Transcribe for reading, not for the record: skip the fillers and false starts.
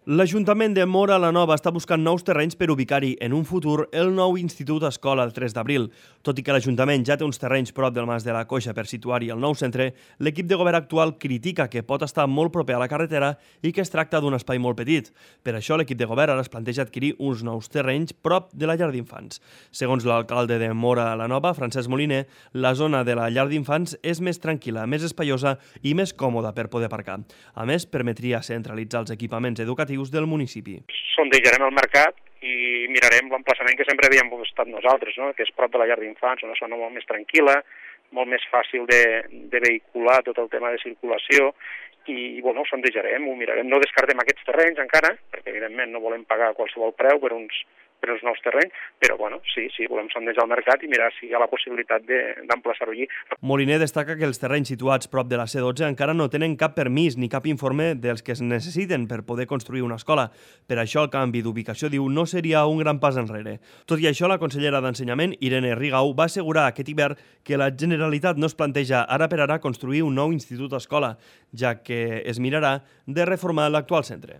L'Ajuntament de Móra la Nova està buscant nous terrenys per ubicar-hi en un futur el nou Institut Escola el 3 d'abril. Tot i que l'Ajuntament ja té uns terrenys prop del Mas de la Coixa per situar-hi el nou centre, l'equip de govern actual critica que pot estar molt proper a la carretera i que es tracta d'un espai molt petit. Per això l'equip de govern ara es planteja adquirir uns nous terrenys prop de la llar d'infants. Segons l'alcalde de Móra la Nova, Francesc Moliner, la zona de la llar d'infants és més tranquil·la, més espaiosa i més còmoda per poder aparcar. A més, permetria centralitzar els equipaments educatius del municipi. Sondejarem el mercat i mirarem l'emplaçament que sempre havíem estat nosaltres, no? Que és prop de la llar d'infants, una zona molt més tranquil·la, molt més fàcil de vehicular tot el tema de circulació i ho sondejarem, ho mirarem. No descartem aquests terrenys encara, perquè evidentment no volem pagar qualsevol preu per uns nous terrenys, però sí, volem sondejar el mercat i mirar si hi ha la possibilitat d'emplaçar-ho allí. Moliner destaca que els terrenys situats prop de la C12 encara no tenen cap permís ni cap informe dels que es necessiten per poder construir una escola. Per això el canvi d'ubicació, diu, no seria un gran pas enrere. Tot i això, la consellera d'Ensenyament, Irene Rigau, va assegurar aquest hivern que la Generalitat no es planteja ara per ara construir un nou institut escola, ja que es mirarà de reformar l'actual centre.